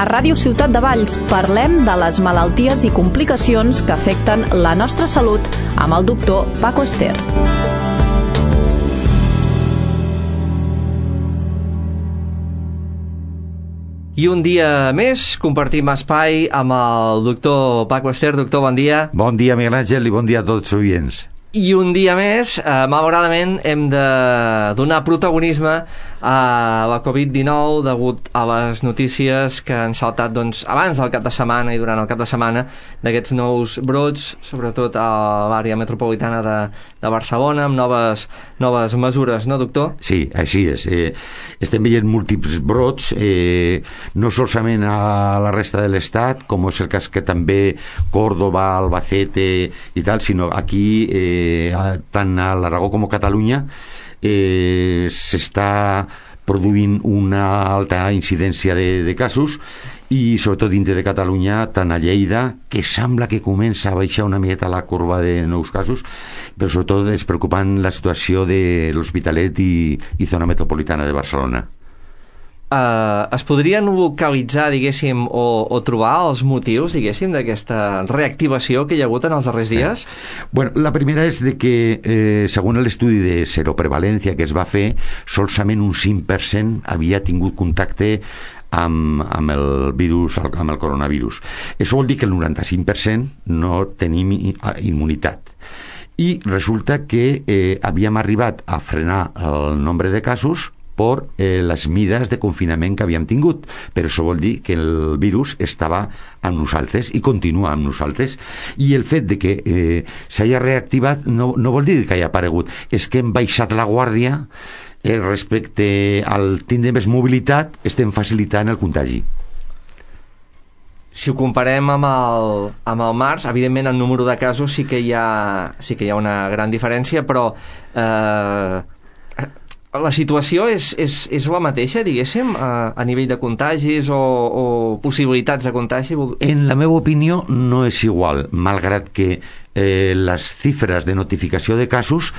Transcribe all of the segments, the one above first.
A Ràdio Ciutat de Valls parlem de les malalties i complicacions que afecten la nostra salut amb el doctor Paco Ester. I un dia més compartim espai amb el doctor Paco Ester. Doctor, bon dia. Bon dia, Miguel Àngel, i bon dia a tots els oients. I un dia més, malauradament, hem de donar protagonisme a la Covid-19 degut a les notícies que han saltat abans del cap de setmana i durant el cap de setmana d'aquests nous brots, sobretot a l'àrea metropolitana de Barcelona, amb noves mesures, no, doctor? Sí, així és. Estem veient múltiples brots, no solament a la resta de l'Estat, com és el cas que també Córdoba, Albacete i tal, sinó aquí, tant a l'Aragó com a Catalunya, s'està produint una alta incidència de casos, i sobretot dintre de Catalunya, tant a Lleida, que sembla que comença a baixar una miqueta la corba de nous casos, però sobretot és preocupant la situació de l'Hospitalet i zona metropolitana de Barcelona. Es podrien localitzar, diguéssim, o trobar els motius, diguéssim, d'aquesta reactivació que hi ha hagut en els darrers dies? Bueno, la primera és de que, segons l'estudi de seroprevalència que es va fer, solament un 5% havia tingut contacte amb el virus, amb el coronavirus. Això vol dir que el 95% no tenim immunitat. I resulta que havíem arribat a frenar el nombre de casos per les mides de confinament que havíem tingut, però això vol dir que el virus estava amb nosaltres i continua amb nosaltres, i el fet de que s'hagi reactivat no vol dir que hagi aparegut, és que hem baixat la guàrdia respecte al tindre més mobilitat, estem facilitant el contagi. Si ho comparem amb el març, evidentment el número de casos sí que hi ha una gran diferència, però la situació és la mateixa, diguéssim, a nivell de contagis o possibilitats de contagi? En la meva opinió no és igual, malgrat que les xifres de notificació de casos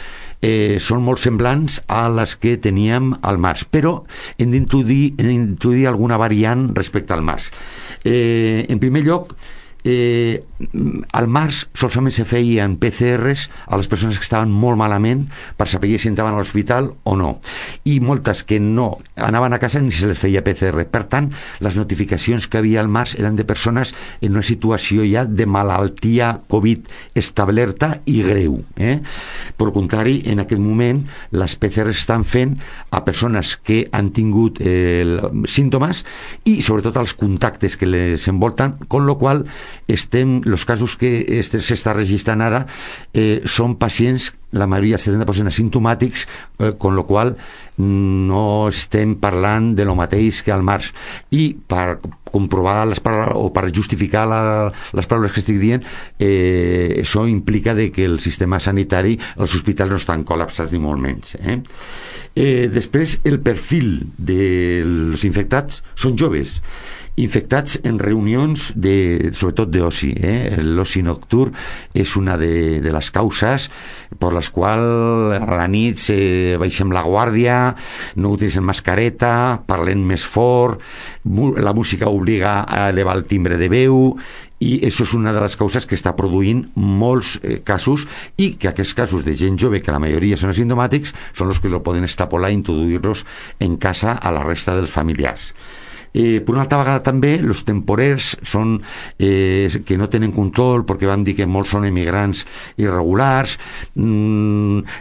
són molt semblants a les que teníem al març, però hem d'introduir alguna variant respecte al març. En primer lloc, al març solament se feien PCRs a les persones que estaven molt malament per saber si estaven a l'hospital o no, i moltes que no anaven a casa ni se les feia PCR. Per tant, les notificacions que havia al març eren de persones en una situació ja de malaltia Covid establerta i greu. Per contrari, en aquest moment les PCRs estan fent a persones que han tingut símptomes i sobretot als contactes que les envolten, con lo qual los casos que s'està registrant ara són pacients, la majoria, el 70% asimptomàtics, con lo qual no estem parlant de lo mateix que al març. I per comprovar les paraules, o per justificar les paraules que estic dient, això implica de que el sistema sanitari, els hospitals no estan col·lapsats ni molt menys. Després, el perfil dels infectats són joves, infectats en reunions sobretot d'oci. L'oci nocturn és una de les causes per les quals a la nit baixem la guàrdia, no utilitzem mascareta, parlem més fort, la música obliga a elevar el timbre de veu, i això és una de les causes que està produint molts casos, i que aquests casos de gent jove, que la majoria són asimptomàtics, són els que lo poden extrapolar i introduir-los en casa a la resta dels familiars. Per una altra vegada també els temporers són que no tenen control, perquè vam dir que molts són emigrants irregulars,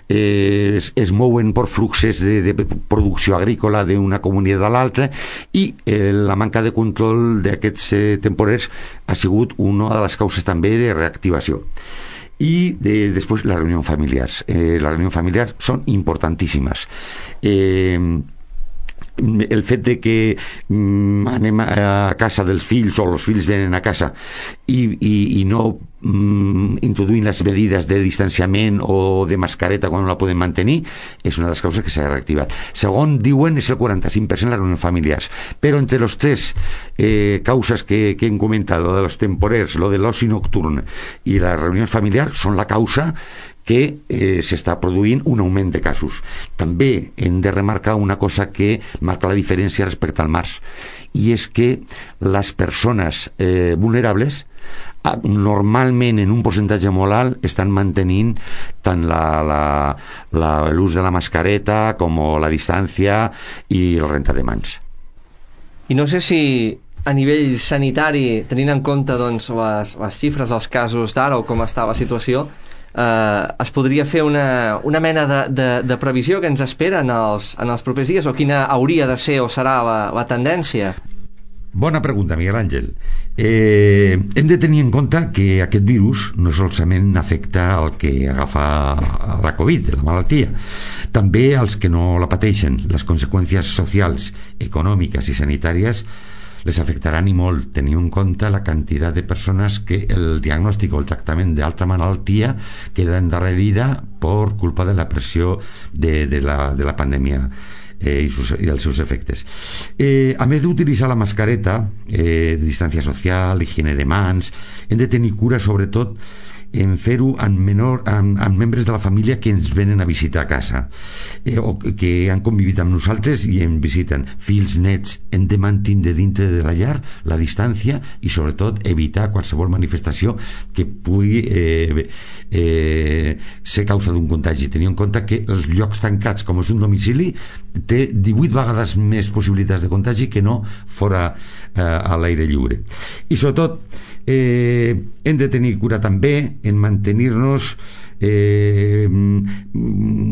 es mouen per fluxes de producció agrícola d'una comunitat a l'altra, i la manca de control d'aquests temporers ha sigut una de les causes també de reactivació. I després les reunions familiars. Les reunions familiars són importantíssimes. El fet de que anem a casa dels fills o els fills venen a casa i no introduint les medides de distanciament o de mascareta quan no la podem mantenir és una de les causes que s'ha reactivat. Segon diuen és el 45% les reunions familiars, però entre les tres causes que hem comentat, lo de los temporers, lo de l'oci nocturn i les reunions familiars, són la causa que s'està produint un augment de casos. També hem de remarcar una cosa que marca la diferència respecte al març, i és que les persones vulnerables normalment en un percentatge molt alt estan mantenint tant l'ús de la mascareta com la distància i el rentar de mans. I no sé si a nivell sanitari, tenint en compte doncs, les xifres dels casos d'ara o com està la situació, es podria fer una mena de previsió que ens espera en els propers dies, o quina hauria de ser o serà la tendència? Bona pregunta, Miguel Àngel. Hem de tenir en compte que aquest virus no solament afecta el que agafa la Covid, la malaltia, també els que no la pateixen. Les conseqüències socials, econòmiques i sanitàries les afectaran i molt, tenint en compte la quantitat de persones que el diagnòstic o el tractament d'alta malaltia queda endarrerida per culpa de la pressió de la pandèmia i els seus efectes. A més d'utilitzar la mascareta, distància social, higiene de mans, hem de tenir cura sobretot en fer-ho amb membres de la família que ens venen a visitar a casa o que han convivit amb nosaltres i ens visiten. Fills, nets, hem de mantenir dintre de la llar la distància i sobretot evitar qualsevol manifestació que pugui ser causa d'un contagi, tenint en compte que els llocs tancats, com és un domicili, té 18 vegades més possibilitats de contagi que no fora a l'aire lliure. I sobretot hem de tenir cura també en mantenir-nos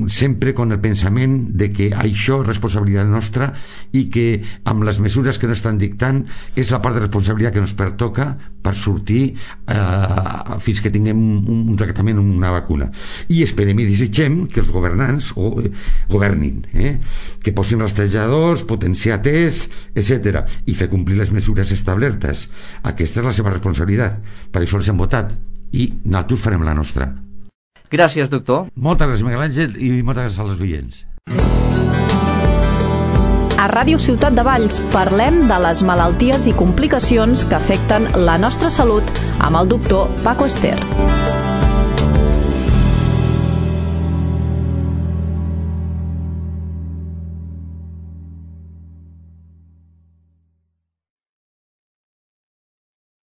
sempre con el pensament de que això és responsabilitat nostra i que amb les mesures que no estan dictant és la part de responsabilitat que ens pertoca per sortir fins que tinguem un tractament, una vacuna. I esperem i desitgem que els governants governin, que posin rastrejadors, potenciar tests, etc. i fer complir les mesures establertes. Aquesta és la seva responsabilitat, per això els hem votat i nosaltres farem la nostra. Gràcies, doctor. Moltes gràcies, Miguel Àngel, i moltes gràcies als oients. A Ràdio Ciutat de Valls parlem de les malalties i complicacions que afecten la nostra salut amb el doctor Paco Ester.